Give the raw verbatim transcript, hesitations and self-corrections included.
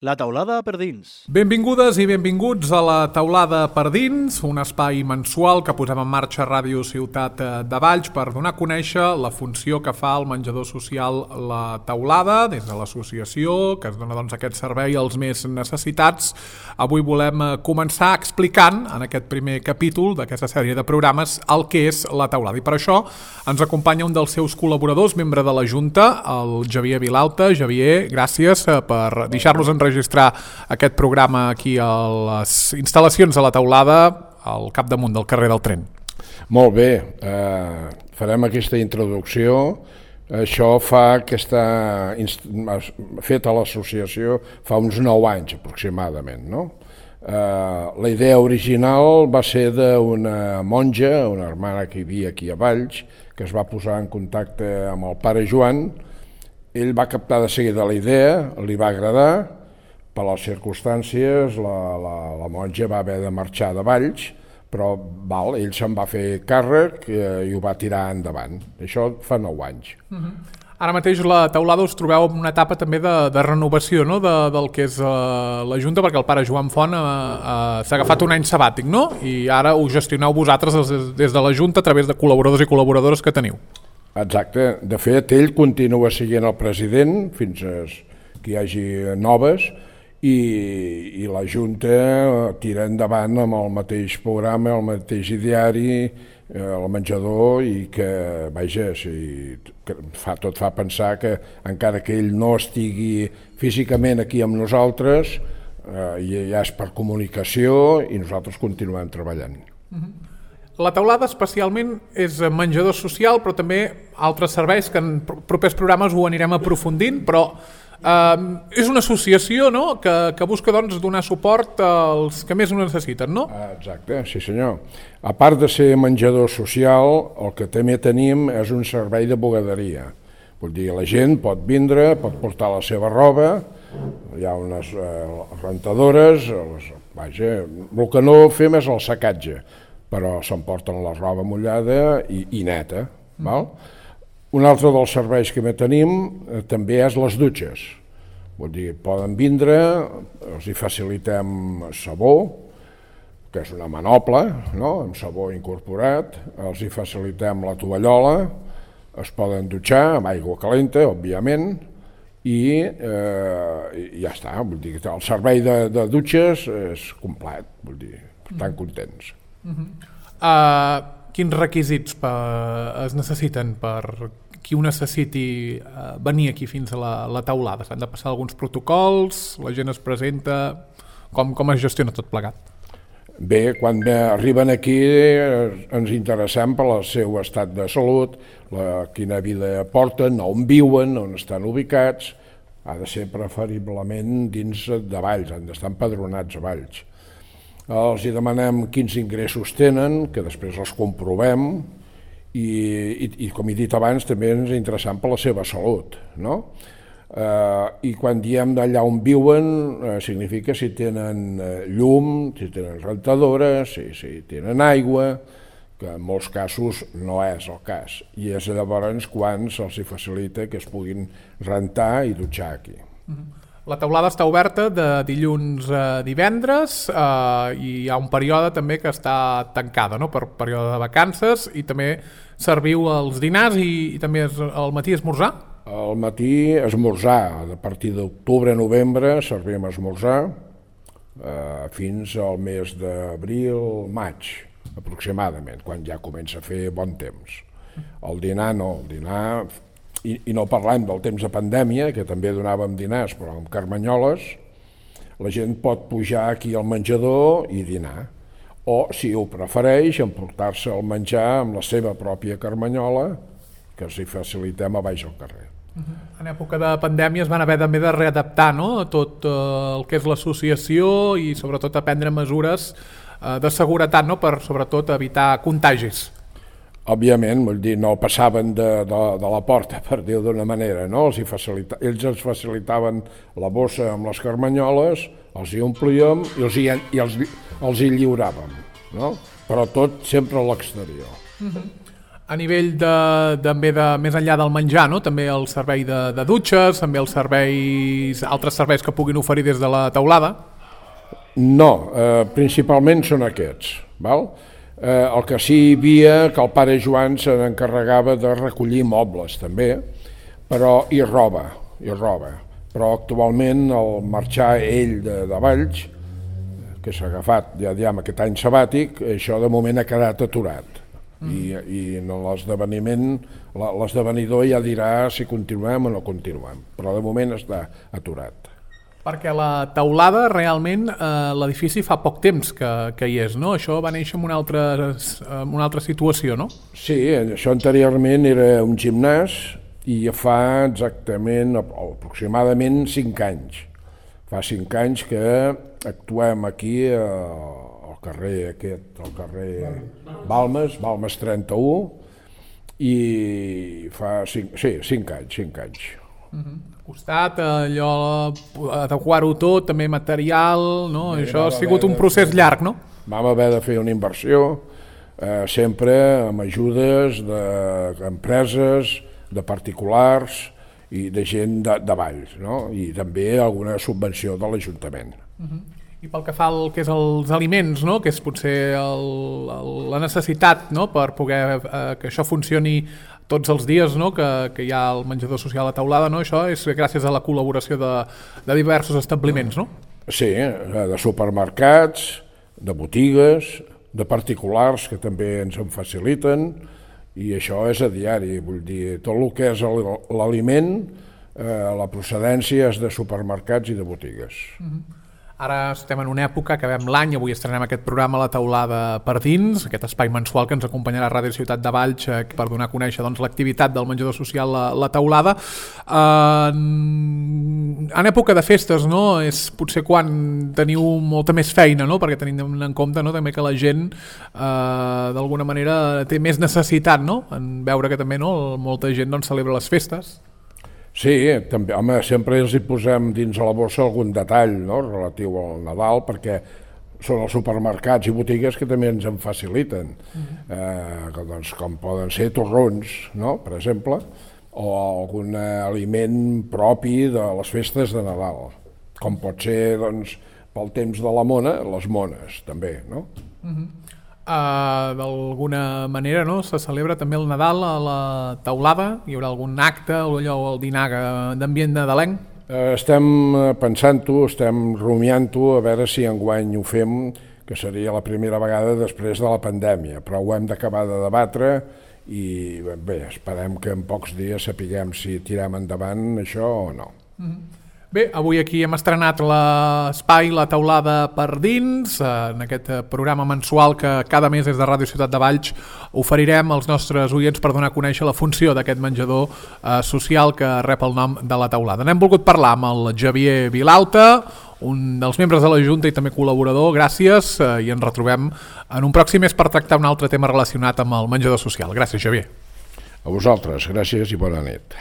La taulada per dins. Benvingudes i benvinguts a la taulada per dins, un espai mensual que posem en marxa a Ràdio Ciutat de Valls per donar a conèixer la funció que fa el menjador social La Taulada des de l'associació que es dona doncs, aquest servei als més necessitats. Avui volem començar explicant en aquest primer capítol d'aquesta sèrie de programes el que és La Taulada i per això ens acompanya un dels seus col·laboradors, membre de la Junta, el Javier Vilalta. Javier, gràcies per deixar-nos enregistrar registrar aquest programa aquí a les instal·lacions de La Taulada al capdamunt del carrer del Tren. Molt bé, eh, farem aquesta introducció. Això fa que està feta l'associació fa uns nou anys aproximadament, no? Eh, la idea original va ser d'una monja, una hermana que hi havia aquí a Valls, que es va posar en contacte amb el pare Joan. Ell va captar de seguida la idea, li va agradar. Per les circumstàncies, la, la, la monja va haver de marxar de Valls, però val, ell se'n va fer càrrec eh, i ho va tirar endavant. Això fa nou anys. Uh-huh. Ara mateix la Taulada us trobeu en una etapa també de, de renovació, no? de, del que és uh, la Junta, perquè el pare Joan Font uh, uh, s'ha agafat un any sabàtic, no? I ara ho gestioneu vosaltres des, des de la Junta a través de col·laboradors i col·laboradores que teniu. Exacte. De fet, ell continua sent el president fins que hi hagi noves, I, i la Junta tira endavant amb el mateix programa, el mateix ideari, eh, el menjador i que, vaja, si, que fa, tot fa pensar que encara que ell no estigui físicament aquí amb nosaltres, eh, ja és per comunicació i nosaltres continuem treballant. Uh-huh. La Taulada especialment és menjador social, però també altres serveis que en propers programes ho anirem aprofundint, però Uh, és una associació, no? que, que busca doncs, donar suport als que més ho necessiten, no? Exacte, sí senyor. A part de ser menjador social, el que també tenim és un servei de bugaderia. Vull dir, la gent pot vindre, pot portar la seva roba, hi ha unes uh, rentadores, les, vaja, el que no fem és el secatge, però s'emporten la roba mullada i, i neta, mm. val? Un altre dels serveis que tenim eh, també és les dutxes. Vull dir, poden vindre, els hi facilitem sabó, que és una manopla, no? Amb sabó incorporat, els hi facilitem la tovallola, es poden dutxar amb aigua calenta, òbviament, i eh, ja està. Vull dir, el servei de, de dutxes és complet, vull dir, estan contents. Uh-huh. Uh... Quins requisits per, es necessiten per qui ho necessiti eh, venir aquí fins a la, la taulada? S'han de passar alguns protocols, la gent es presenta, com, com es gestiona tot plegat? Bé, quan arriben aquí eh, ens interessem per el seu estat de salut, la, quina vida porten, on viuen, on estan ubicats. Ha de ser preferiblement dins de Valls, han d'estar empadronats a Valls. Els hi demanem quins ingressos tenen, que després els comprovem i, i, i com he dit abans, també ens interessem per la seva salut, no? Eh, I quan diem d'allà on viuen, eh, significa si tenen eh, llum, si tenen rentadores, si, si tenen aigua, que en molts casos no és el cas. I és llavors quan se'ls facilita que es puguin rentar i dutxar aquí. Mm-hmm. La taulada està oberta de dilluns a divendres eh, i hi ha un període també que està tancada, no? Per període de vacances, i també serviu els dinars i, i també es, al matí esmorzar? Al matí esmorzar, a partir d'octubre a novembre servim esmorzar eh, fins al mes d'abril, maig aproximadament, quan ja comença a fer bon temps. El dinar no, el dinar... I, i no parlem del temps de pandèmia, que també donàvem dinars, però amb carmanyoles, la gent pot pujar aquí al menjador i dinar, o, si ho prefereix, emportar-se el menjar amb la seva pròpia carmanyola, que els hi facilitem a baix al carrer. Uh-huh. En època de pandèmia es van haver també de readaptar, no? Tot uh, el que és l'associació i sobretot a prendre mesures uh, de seguretat, no? Per sobretot evitar contagis. Òbviament, vull dir, no passaven de, de, de la porta, per dir-ho d'una manera, no? Els hi facilita... Ells ens facilitaven la bossa amb les carmanyoles, els hi omplíem i els hi, i els, els hi lliuràvem, no? Però tot sempre a l'exterior. Uh-huh. A nivell de, també de, més enllà del menjar, no? També el servei de, de dutxes, també els serveis, altres serveis que puguin oferir des de la teulada? No, eh, principalment són aquests. Val? Eh, el que sí hi havia, que el pare Joan se n'encarregava de recollir mobles també, però i roba, i roba. Però actualment el marxar ell de, de Valls, que s'ha agafat ja diguem aquest any sabàtic, això de moment ha quedat aturat. I, i en l'esdeveniment l'esdevenidor ja dirà si continuem o no continuem, però de moment està aturat. Perquè la teulada realment eh, l'edifici fa poc temps que, que hi és, no? Això va néixer en una altra, en una altra situació, no? Sí, això anteriorment era un gimnàs i ja fa exactament, aproximadament cinc anys. Fa cinc anys que actuem aquí a al carrer aquest, al carrer Balmes, Balmes trenta-u, i fa cinc, sí, cinc anys, cinc anys. Uh-huh. Al costat, allò, adequar-ho tot, també material, no? Sí, això ha sigut un procés llarg, no? Vam haver de fer una inversió, eh, sempre amb ajudes d'empreses, de particulars i de gent de, de Valls, no? I també alguna subvenció de l'Ajuntament. Uh-huh. I pel que fa al que és els aliments, no? Que és potser el, el, la necessitat, no? Per poder eh, que això funcioni tots els dies, no? que, que hi ha el menjador social a teulada, no? Això és gràcies a la col·laboració de, de diversos establiments, no? Sí, de supermercats, de botigues, de particulars que també ens en faciliten, i això és a diari, vull dir, tot el que és l'aliment, eh, la procedència és de supermercats i de botigues. Mm-hmm. Ara estem en una època, acabem l'any, avui estrenem aquest programa a la teulada per dins, aquest espai mensual que ens acompanyarà a Ràdio Ciutat de Valls eh, per donar a conèixer doncs, l'activitat del menjador social a la teulada. Eh, en època de festes, no? És potser quan teniu molta més feina, no? Perquè tenim en compte, no? També que la gent eh, d'alguna manera té més necessitat, no? En veure que també, no? Molta gent doncs, celebra les festes. Sí, també, home, sempre els hi posem dins a la bossa algun detall, no? Relatiu al Nadal, perquè són els supermercats i botigues que també ens en faciliten, mm-hmm. eh, doncs, com poden ser torrons, no? Per exemple, o algun aliment propi de les festes de Nadal, com pot ser doncs, pel temps de la mona, les mones també, no? Mm-hmm. Uh, d'alguna manera, no? Se celebra també el Nadal a la teulada, hi haurà algun acte o allò, el dinar d'ambient nadalenc? Uh, estem pensant-ho, estem rumiant-ho, a veure si enguany ho fem, que seria la primera vegada després de la pandèmia, però ho hem d'acabar de debatre i bé, esperem que en pocs dies sapiguem si tirem endavant això o no. Mm-hmm. Bé, avui aquí hem estrenat l'espai La Teulada per dins, en aquest programa mensual que cada mes des de Ràdio Ciutat de Valls oferirem als nostres oients per donar a conèixer la funció d'aquest menjador eh, social que rep el nom de La Teulada. N'hem volgut parlar amb el Xavier Vilalta, un dels membres de la Junta i també col·laborador. Gràcies eh, i ens retrobem en un pròxim mes per tractar un altre tema relacionat amb el menjador social. Gràcies, Xavier. A vosaltres, gràcies i bona nit.